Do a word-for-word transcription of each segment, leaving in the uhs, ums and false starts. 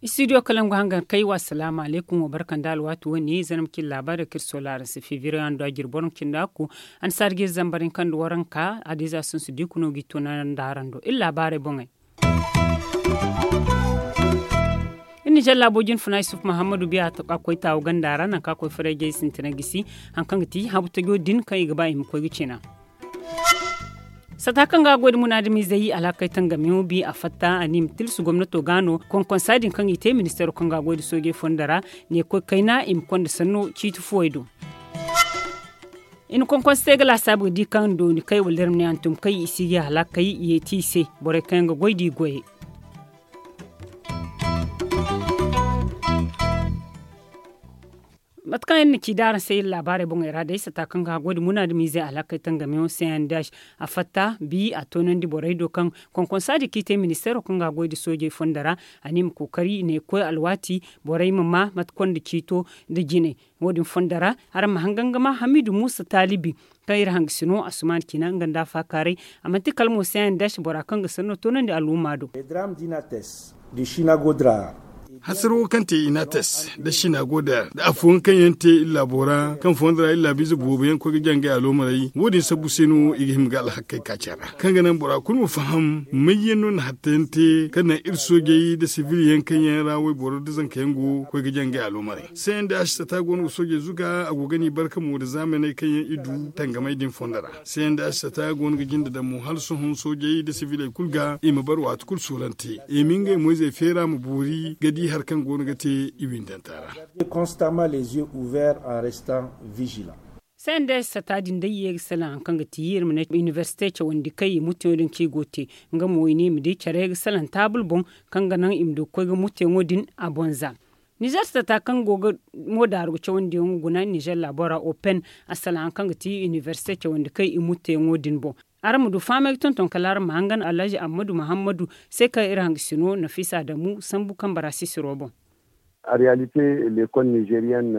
Istidiyo kalangu hangan kay wa salaamu alaykum wa barka nda alwaati wane zanam cin laabaari kaŋ iri soola araŋ se febriye hando a jirbi waranka cindi akku. Annasaari ga iri zambar hinka nda waranka adiiza sunsu diikuno ga i toonandi araŋ do iri laabaarey boŋey. Iri na jalla booji ni funa yusuf muhammadu biya a koy taawu ganda ra nangu kaŋ a koy farayjey sintina gisi. Hari kaŋ ga ti habu tajo din kaŋ i ga ba i ma koy ga cina. Sata kaŋ ga a goy nda munaadamizey alhakey tangamiyaŋo bi a fatta a ne i ma tilsu gomnato ga no konkonsa din kaŋ i te ministeero kaŋ ga a goy nda soojey fondo ra ne koy kayna i ma konda sanno ciiti fuwey do. I na konkonsa te ga laasaabu ga di kaŋ dooni kay wala iri ma ne hantum kay i si ga alhakey yeeti i se. Borey kaŋ yaŋ ga goy da i goyey. Mate kaŋ iri na ci da araŋ se iri laabaarey boŋey ra day sata kaŋ ga a goy nda munaadamizey alhakey tangamiyaŋo se yaŋ da a fatta bi a toonandi borey do kaŋ konkonsa din kaŋ i te ministeero kaŋ ga a goy nda soojey fondo ra. A ne i ma kookari i ne koy alwaati borey ma ma mate konda ciito nda jinay. Wo- din fondo ra araŋ ma hangan ga ma hamiidu muusa taalibi kaŋ iri hangasino asumaani ciina nga nda a faakaaray. A manti kala mo se yaŋ da a si bora kaŋ ga sanno toonandi al'umma do. Hasaro kaŋ te inates nda sinagoda nda afooyaŋ kaŋ yaŋ te iri laabo ra kaŋ fondo ra iri laabiize boobo yaŋ koy ga jaŋ ga aloomaray wo- din sabbu se no i ga hima ga alhakey kaaca ra kaŋ ga naŋ bora kulu ma faham may yaŋ no na hatta yaŋ te kaŋ naŋ iri soojey nda sibil yaŋ kaŋ yaŋ ra wayboro nda zanka yaŋ go ga koy ga jaŋ ga aloomaray. Sayaŋ da a si sata go no ga soojey zuga a go ga ni barka mo nda zaamaney kaŋ yaŋ i du tangamey din fondo ra. Sayaŋ da a si sata go no ga jinde daŋ mo hala sohõ soojey nda sibiley kulu ga i ma bar waati kulu soolante i ma ngey moyzey feera ma boori ga di hari kaŋ go no ga te i windanta ra. Sayaŋ da a si sata din day i ye ga salaŋ hari kaŋ ga ti iri ma ne inibersite cawandi kaŋ i muteyaŋo din kaŋ i go ga te nga mo i ne i ma di care ga salaŋ taabul boŋ kaŋ ga naŋ i ma du ga koy ga muteyaŋo din a boŋ za. Nizer sata kaŋ go ga mo daaru ga cawandiyaŋo guna nizer laabo ra open a salaŋ hari kaŋ ga ti inibersite cawandi kaŋ i muteyaŋo din boŋ. Araŋ ma du fahamay ga tonton kala araŋ ma hangan alhaji ammadu muhammadu se kaŋ iri hangasino nafiisa damu sambu kambe ra sisiro boŋ. Ariyalite lekol nizeriyen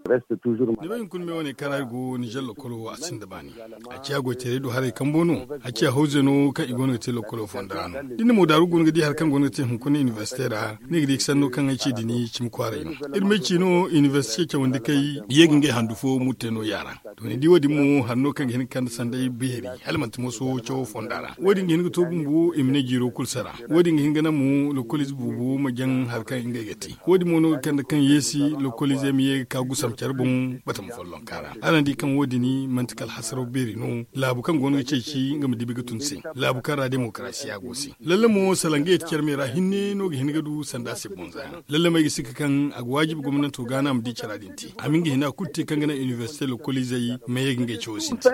reste tuzur. Ni bay hunkuna me wane kaŋ ra iri go nizer lokolo a sinda baani. A ciya goytaray do haray kambo no. A ciya hawze no kaŋ i go no ga te lokolo fonda ra no da ni na mo daaru go no ga di hari kaŋ go no ga te hunkuna inibersite ra ni ga di sanno kaŋ ay ci dini cimi kwaaray no. Iri ma ay ci no inibersite cawandi kay ye ga ngey handu fo murte no yaara. To ni di wo- din mo hari no kaŋ ga hin ga kande sanday beeri hala manti moso cawo fonda ra wo- din ga hin ga to bumbo i ma ne jiiro kulu sara. Wo- din ga hin ga naŋ mo lokoliize boobo ma jaŋ hari kaŋ ngey ga te. Wo- din mo no ga kande kaŋ yeesi lokoliizey ma ye ga ka gusam care boŋ batama follonka ra. Araŋ di kaŋ wo- din manti kala hasaraw beeri no laabu kaŋ go no ga ceeci nga ma dibi ga tun se. Laabu kaŋ ra demokarasiya go se lalle mo salaŋ ga yeeti care me ra hinne no ga hin ga du sanda se boŋ za yaŋ. Lalle mo ay ga sikka kaŋ a ga waajibi gomnanto ga no a ma di cara din te a ma nga hina kulu te kaŋ ga naŋ inibersite lokoliizey ma ye ga ngey cawo sintin.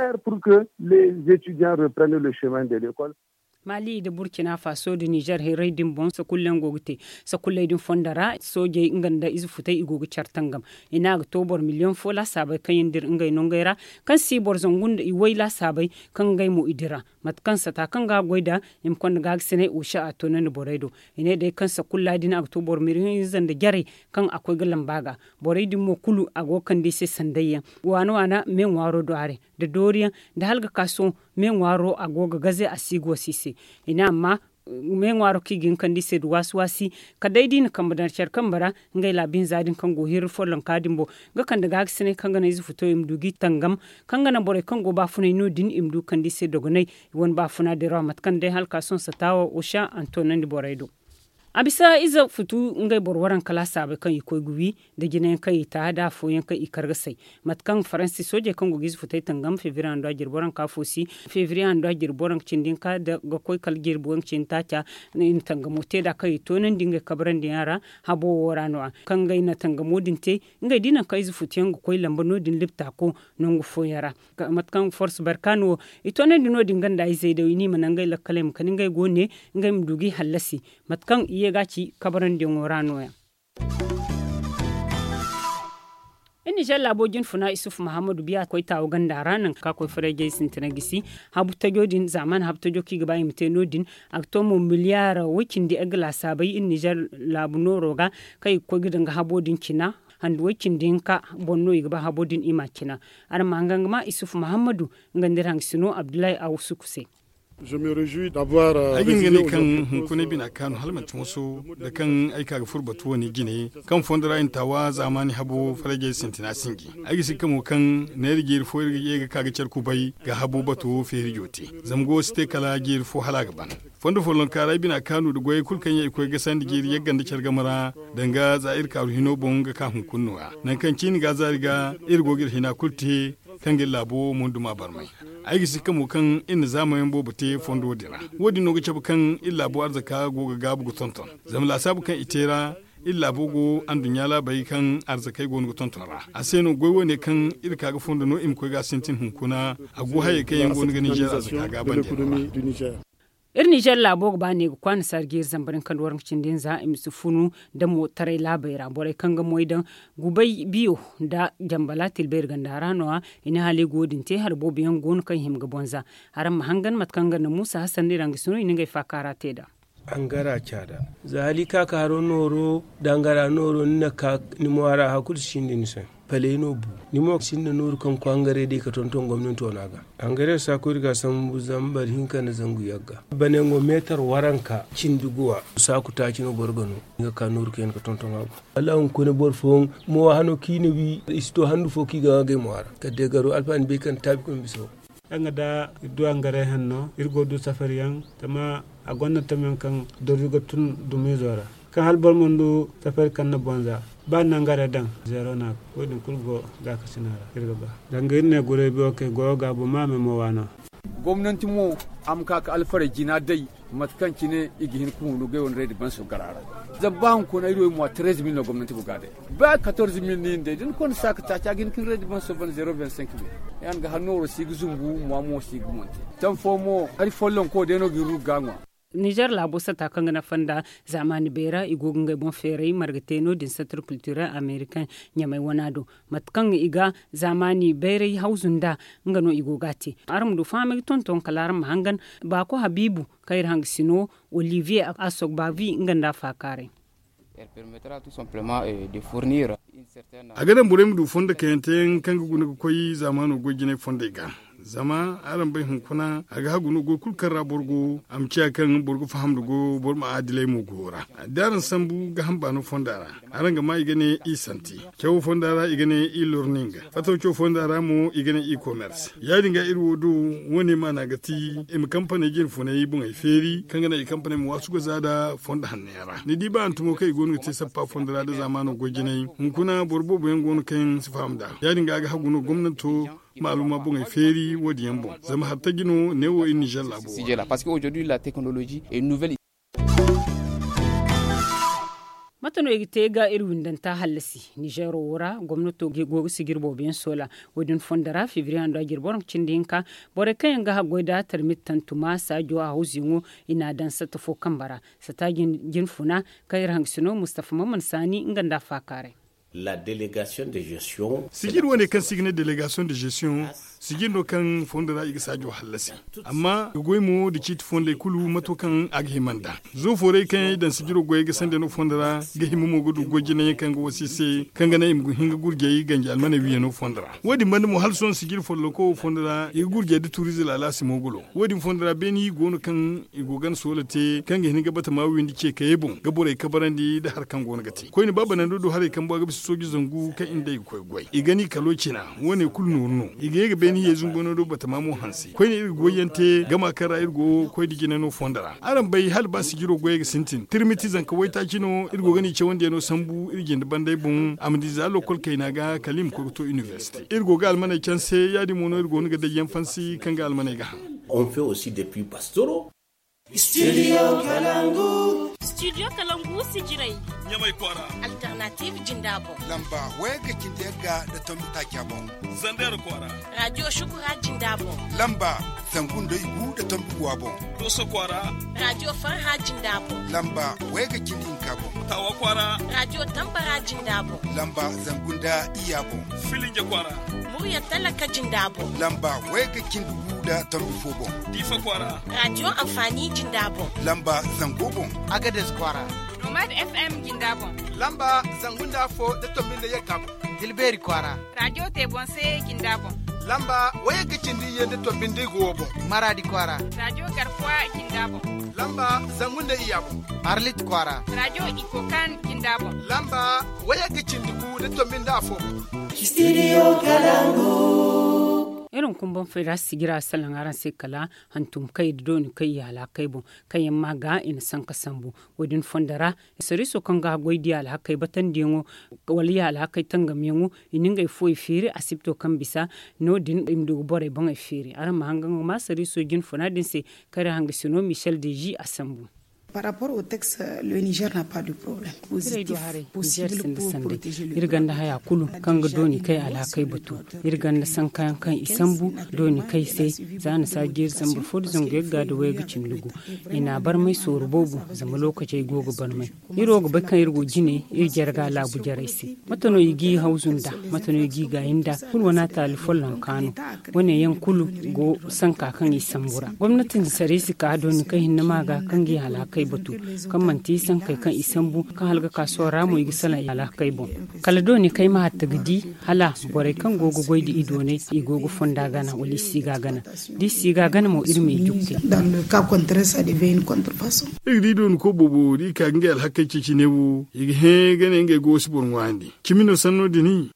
Maali nda burkina faso nda nizer hirray din boŋ sakullayaŋ go ga te. Sakulley din fondo ra soojey nga nda ize futey i go ga care tangam. I ne a ga to boro miliyoŋ fo laasaabey kaŋ yaŋ dira ngey nongey ra kaŋ si boro zangu nda i way laasaabey kaŋ ngey mo i dira. Mate kaŋ sata kaŋ ga a goy nd'a i ma konda gaagasinay osa a toonandi borey do. I ne day kaŋ sakulla din a ga to boro miliyoŋ hinza nda jarey kaŋ a koy ga lamba ga. Borey din mo kulu a go ga kande i se sandayyaŋ waana waana me ŋwaaro do haray nda dooriyaŋ nda hala ga ka sohõ me ŋwaaro a go ga gaze a si go si se. I ne amma me ŋwaaro kaŋ i ga hin ga kande i se nda waasi waasi kala day da i na kambe daŋ care kambe ra. Ngey laabu hinza din kaŋ go ga hirri follonka din boŋ ga kande gaagasinay kaŋ ga naŋ ize futo i ma du ga i tangam kaŋ ga naŋ borey kaŋ go baafunay no- din i ma du ga kande i se dogonay. I wane baafuna din ra mate kaŋ day hala ga ka sohõ sata wo osa a na toonandi borey do. A bisa ize futu ngey boro waranka laasaabey kaŋ i koy ga wi nda jinayaŋ kaŋ i ta nda afooyaŋ kaŋ i kar ga say. Mate kaŋ faransi soojey kaŋ go ga ize futey tangam febriye hando a jirbi waranka fo si febriye hando a jirbi waranka cindi hinka ga koy kala jirbi waranka cindi taaca. I na tangamo te nd'a kaŋ i toonandi ngey kabrandi yaŋ ra habo wo ra no- ya kaŋ ngey na tangamo din te. Ngey da i naŋ kaŋ ize futu yaŋ ga koy lamba no- din libta ko nangu fooyaŋ ra. Mate kaŋ force barkaano wo i toonandi no- din ganda izey day i ne i ma naŋ ngey lakkaley ma kani ngey go ne ngey ma du ga i hallasi. Mate kaŋ i ye ga a ci kabarandiyaŋo ra no- ya. Iri nizer laabo jinfuna isufu mahammadu biya koy taawu ganda ra nangu kaŋ a koy farayjey sintina gisi. Habu tajo din zaamaani habu tajo kaŋ i ga ba i ma te no- din a ga to mo miliyar way- cindi ay ga laasaabay iri nizer laabu nooro ga kaŋ i ga koy ga daŋ ga habo din cina. handu way cindi hinka boŋ no i ga ba habo din i ma a cina. Araŋ ma hangan ga ma isufu muhammadu, nga nda iri hangasino abdullahi awusuku se. Ay ga hin ga ne kaŋ hunkunay bina kaanu hala manti moso da kaŋ ay ka ga furo batu wane jine, kaŋ fondo ra i na taawa zaamaani habo farajey sintina sinji. Ay ga si ga ka mo kaŋ neera jeeri fo iri ga ye ga ka ga care kubay ga habo bato feeri joote. Zama go si te kala jeeri fo hala a ga ban. Fondo follonka ra ay bina kaanu nda goyey kulu kaŋ yaŋ i koy ga sandi jeeri yagga nda care game ra, danga za iri kaaru hino boŋ ga ka hunkuna nooya nangu kaŋ ciini ga a zaari ga, iri go ga iri hina kulu te kaŋ ga iri laabo munduma barmay. Ay ga si ga ka mo kaŋ iri na zaamayaŋ boobo te fondo din ra. Wo- din no ga cabe kaŋ iri laabo arzaka go ga gaabu ga tonton. Zama laasaabu kaŋ i te ra, iri laabo go anduɲɲa laabey kaŋ arzakey go no ga tonton ra. A se no goy wo- ne kaŋ iri ka ga fondo no i ma koy ga a sintin hunkuna. A go hayey kaŋ yaŋ go no ga ninzeer arzaka gaabandi no ra. Iri ninzeer laabo ga ba ne ga kwaana saari ga iri zambar hinka nda waranka cindi hinza i ma si funu damo taray laabey ra borey kaŋ ga moy daŋ gubay biyo nda jambala tilbayri ganda ra no- ya. I ne hala i go din te hari boobo yaŋ go no kaŋ i hima ga bonza. Araŋ ma hangan mate kaŋ ga naŋ muusa hasan no iri hangasino i na ngey faakaara te nd'a. Hangara caada za hala i ka ka haro nooro da hangara nooro ni na ka ni mo a ra hari kulu si sinda ni se. Paley no bu ni mo ga sinda nooru kaŋ ga koy hangaray day ga tonton gomnanto no a ga. Hangaray saaku iri ga a sambu zambar hinka nda zangu yagga. Banango meetar waranka cindi guwa saaku taaci no boro ga no. Ni ga ka nooru kaŋ yaŋ ga tonton a ga wallaahi hunkuna boro fooyaŋ mo hano kaŋ i na wi i si to handu fo kaŋ i ga ŋwa ga ay mo a ra kala day garo alfaani bay kaŋ taabi kaŋ bisa wo. Yaŋ ga da iri du hangaray hanno iri go ga du safari yaŋ. Zama a gonda tamyaŋ kaŋ dori ga tun dumiizo ra kaŋ hala boro mana du safari kaŋ na bonza ba ni na hangaray daŋ. Zeero no a ga wo- din kulu go gaakasina ra iri ga ba. Danga iri ne guray biyo kay goyo gaabo ma me mo waano. Gomnanti mo a ma ka ga alfaray jina day mate kaŋ cine i ga hin ga hunu ga ay wane raydi banso gara ra. Zama ba hunkuna iri wo ay mo a tereez mil no gomnanti go ga a day. Ba katorze mil ni hin day da ni konda saaka taaci a ga hin ga ni raydi banso ban zeero vingt cinq mil. Ya- din ga hari nooro si ga zumbu mo a mo si ga monte. Taŋ fo mo hari follonko day no ga iri ru ga ga ŋwa. Nizer laabo sata kaŋ ga nafa nda zaamaani bayra i go ga ngey boŋ feeray marga te no- din centre culturel americain ɲamay wana do. Mate kaŋ i ga zaamaani bayray hawzu nda nga no i go ga a te. Araŋ ma du fahamay ga tonton kala araŋ ma hangan baako habiibu kaŋ iri hangasino olivier asogbavi nga nda a faakaaray. A ga daŋ borey ma du fondo kayante yaŋ kaŋ ga guna ga koy zaamaano goy jinay fondey ga. Zama araŋ bay hunkuna a ga hagu no goy kulu kaŋ ra boro go a ma ciya kaŋ boro ga faham nda go boro ma adilay mo go ra. Da araŋ sambu ga hamba no fonda ra araŋ ga ma i ga ne i santi. Cawo fonda ra i ga ne i lorning. Fataw cawo fonda ra mo i ga ne i komers. Ya- din ga iri wo do wo- ne maana ga ti i ma kampaney jine funay boŋey feeri kaŋ ga naŋ i kampaney ma waasu ga za nda fondo hanno yaŋ ra ni di ba hantumo kaŋ i go no ga te sappa fondo ra nda zaamaano goy jinay. Hunkuna boro boobo yaŋ go no kaŋ si faham nd'a ya- din ga a ga hagu no gomnanto maaluma boŋey feeri wo- din yaŋ boŋ zama hari taji no neewo iri nizer laabo. Mate no i ga te ga iri windanta hallasi? Nizeero wo ra gomnato go ga sijiri boobo yaŋ soola. Wo- din fondo ra fibriye hando a jiri boro cindi hinka. Borey kaŋ yaŋ ga haggoy nda tarmit tantuma saajo a hawzuyaŋo i n'a daŋ satta fo kambe ra. Satta jin funa kaŋ iri hangasino mustafa mamman saani nga nda a faakaaray. Sijiri wane kaŋ se i ga ne delegation de gestion sijiri no kaŋ fondo ra i ga saajo hallasi. Amma i ga goy mo nda ciiti fondey kulu mato kaŋ a ga hima nd'a. Zo foorey kaŋ yaŋ i daŋ sijiro goyey ga sanda no fondo ra ga hima mo ga du goy jinayaŋ kaŋ ga wasa i se kaŋ ga naŋ i ma hin ga gurjey ganji almaney wiiyano fondo ra. Wo- din banda mo hala sohõ sijiri follonko wo fondo ra i ga gurjey nda tuuriize laalaasi mo ga lo. Wo- din fondo ra beeni go no kaŋ i go gana soola te kaŋ ga hin ga batama windi ce kayey boŋ ga borey kabarandi nda hari kaŋ go no ga te koyne ba banando do haray kaŋ bo a ga bisa sooji zangu kaŋ i nda i ga koy goy i gani kalo cina. Wo- ne kulu nooru no i ga ye ga beeni ye zunguno do batama mo hanse koyne iri ga goyyaŋ te gama kaŋ ra iri go koy nda jina no fondo ra. Araŋ bay hala ba sijiro goyey ga sintin tirmiti zanka waytaaci no iri go ga ni cawandiyaŋo sambu iri jinde bandey boŋ a ma di za lokol kayna ga kala i ma koy ga to inibersite iri go ga almaney canse ya- din mo no iri go no ga dayyaŋ fansi kaŋ ga almaney ga haŋ. Studio kalangu. Studio kalangu sijirey. Ɲamay kwaara. Alternative jinda boŋ. Lamba wayga cindi yagga nda tombi taaca boŋ. Zander kwaara. Radio shukura jinda boŋ. Lamba zangu nda igu nda tombi guwa boŋ. Doso kwaara. Radio farha jinda boŋ. Lamba wayga cindi hinka boŋ. Tawa kwaara. Radio tambara jinda boŋ. Lamba zangu nda iyya boŋ. Filinje kwaara. Murya talaka jinda boŋ. Lamba wayga cindi gu nda tombi fo boŋ. Diifa kwaara. Radio amfani jinda boŋ. Lamba zango boŋ. Agades kwaara. F M jinda boŋ. Lamba zangu nda afo da tombi nda yagga boŋ. Dilbeeri kwaara. Rajo te boŋ se jinda boŋ. Lamba wayagga cindi iyye nda tombi nda igu wo boŋ. Maraadi kwaara. Rajo garkuwa jinda boŋ. Lamba zangu nda iyya boŋ. Arlit kwaara. Rajo ikokan jinda boŋ. Lamba wayagga cindi gu da tombi nda afo boŋ. Studio kalangu. Iri ma kumbaŋ fayda sijira salaŋ araŋ se kala hantum kay da dooni kay i halakey boŋ. Kaŋ yaŋ ma ga i na sanka sambu. Wo- din fondo ra, sariiso kaŋ ga goy da i alhakey batandiyaŋo wala i alhakey tangamyaŋo, i na ngey fuwey feeri asibto kaŋ bisa. No- din i ma du ga borey boŋey feeri. Araŋ ma hangan ga ma sariiso jinfuna din se. Kare hangasino michel deji a sambu. Par rapport au texte, le niger n'a pas de problème. Iri ganda haya kulu kaŋ ga dooni kay alhakey batu. Iri ganda sankayaŋ kaŋ i sambu dooni kay se. Za na saaji iri sambu fo da zangu yagga da wayga cindi gu. I na barmay sooru boobo zama lookacey go ga barmay. Iri wo ga bay kaŋ iri go jine iri jarga laabu jarey se. Mate no i g'i hawzu nda? Mate no i g'i gaayi nda? Kulu wane a taali follonka no. Wane yaŋ kulu go sanka kaŋ i sambu ra gomnati nda saray si ka dooni kaŋ hinne ma ga kaŋ g'i halhakey batu. Kaŋ manti sankey kaŋ i sambu kaŋ hala ga ka sohõ ra mo i ga salaŋ i halhakey boŋ. Kala dooni kaŋ ay ma hatta ga di hala borey kaŋ go ga goy da i doonay i go ga fonda gana wala i si ga gana. Da i si ga gana mo iri ma i jukke. Iri ga di dooni ko boobo da i ka ga ngey alhakey ceeci ne wo i ga hẽ ga ne ngey go si boro ŋwaayandi. Cimi no sanno din.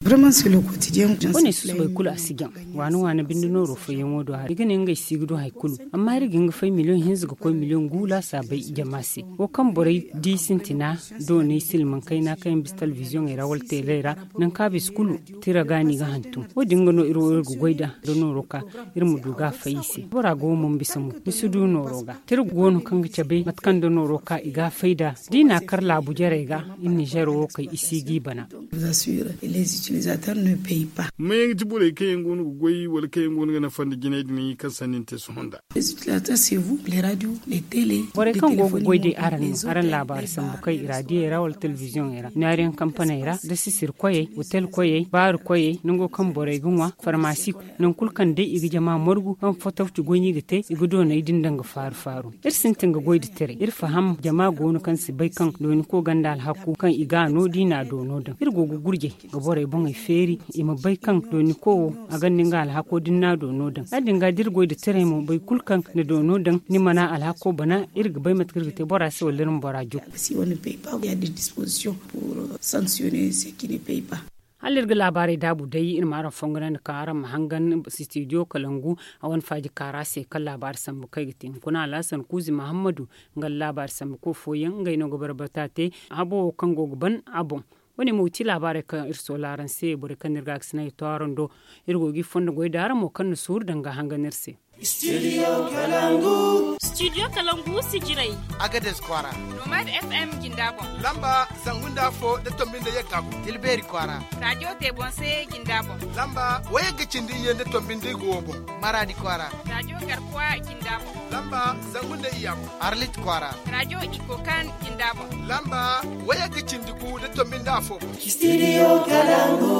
Wane susubay kulu a si jaŋ. Waana waana binde nooro fayyaŋo do hari i ga ne ngey si ga du hari kulu. Amma iri ga hin ga fay miliyoŋ hinza ga koy miliyoŋ gu laasaabay jama se. Wo kaŋ borey di sintina doonay silmaŋ kayna kaŋ yaŋ bisa telebiziyoŋey ra wala teeley ra. Nangu kaŋ a bisa kulu tira ga no i ga hantum wo- din ga no iri wo iri ga goy nd'a. Da nooro ka iri ma du ga a fay i se bora ga wo mo ma bisa mo ni si du nooro ga. Tira go no kaŋ ga cabe mate kaŋ da nooro ka i ga a fay nd'a. Da i n'a kar laabu jarey ga iri nizer wo kay i si g'i bana. Mayaŋ ga ti borey kaŋ yaŋ go no ga goy wala kaŋ yaŋ go no ga nafa nda jinay din kaŋ sanni ni te sohõ nd'a. Borey kaŋ go ga goy day araŋ no araŋ laabaari sambu kay i raadiyey ra wala telebiziyoŋey ra naariyaŋ kampaney ra da sisir koyey otel koyey baari koyey nango kaŋ borey ga ŋwa farmasi. Nangu kulu kaŋ day i ga jama margu kaŋ fotawci goy no i ga te i ga doonay din daŋ ga faaru faaru. Iri sintin ga goy nda tiray iri faham jama go no kaŋ si bay kaŋ dooni ko gonda alhaku kaŋ i ga a no da i n'a doono daŋ iri go ga gurjay ga borey boŋey feeri i ma bay kaŋ dooni ko wo a gonda nga alhako da ni n'a doono daŋ ya- din ga da iri goy nda tiray mo boro kulu kaŋ na doono daŋ ni mana alhako bana iri ga bay mate kaŋ iri ga te bora se wala iri ma bora jukku. Hala iri ga laabaarey daabu day iri ma araŋ fonganandi kaŋ araŋ ma hangan sitidiyo kalangu a wane faaji kaara se kaŋ laabaari sambu kaŋ ay ga te hunkuna alhasan kuuzi mahammadu. Nga laabaari sambu koy fooyaŋ ngey no ga barbata te habo wo kaŋ go ga ban a boŋ. Wane mo ga ti laabaarey kaŋ iri soola araŋ se borey kaŋ no iri ga a ga sinay to araŋ do. Iri go ga i fondo goy da araŋ mo kaŋ na suuru danga hangan iri se. Studio kalangu sijirey. Agades kwaara. Nomad f m jinda boŋ. Lamba zangu nda afo da tombi nda yagga boŋ. Tilbeeri kwaara. Rajo te boŋ se jinda boŋ. Lamba wayagga cindi iyye nda tombi nda igu wo boŋ. Maraadi kwaara. Rajo garkuwa jinda boŋ. Lamba zangu nda iyya boŋ. Arlit kwaara. Rajo ikokan jinda boŋ. Lamba wayagga cindi gu da tombi nda afo boŋ. Studio kalangu.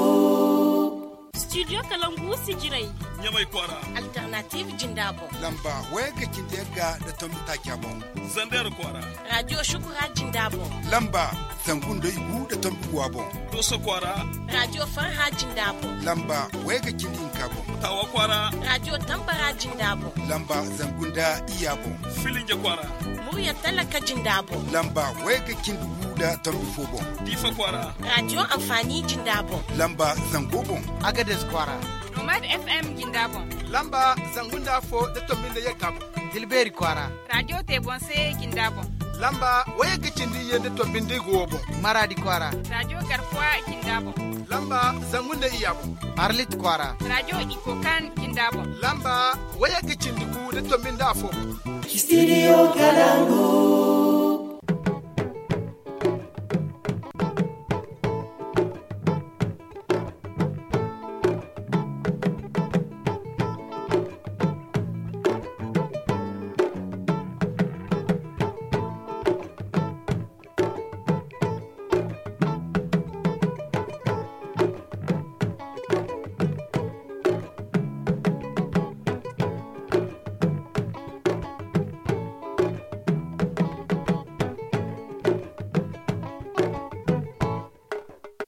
Studio kalangu sijirey. Ɲamay kwaara. Alternative jinda boŋ. Lamba wayagga cindi yagga da tombi taaca boŋ. Zander kwaara. Rajo shukura jinda boŋ. Lamba zangu nda igu da tombi guwa boŋ. Doso kwaara. Rajo farha jinda boŋ. Lamba wayagga cindi hinka boŋ. Tawa kwaara. Rajo tambara jinda boŋ. Lamba zangu nda iyya boŋ. Filinje kwaara. Murya talaka jinda boŋ. Lamba wayagga cindi gu da tombi fo boŋ. Difa kwaara. Rajo amfani jinda boŋ. Lamba zango boŋ. Agades kwaara. Nomad f m jinda boŋ. Lamba zangu nda afo da tombi nda yagga boŋ. Tilbeeri kwaara. Rajo te boŋ se jinda boŋ. Lamba wayagga cindi iyye nda tombi nda igu wo boŋ. Maraadi kwaara. Rajo garkuwa jinda boŋ. Lamba zangu nda iyya boŋ. Arlit kwaara. Rajo ikokan jinda boŋ. Lamba wayagga cindi gu da tombi nda afo boŋ. Studio kalangu.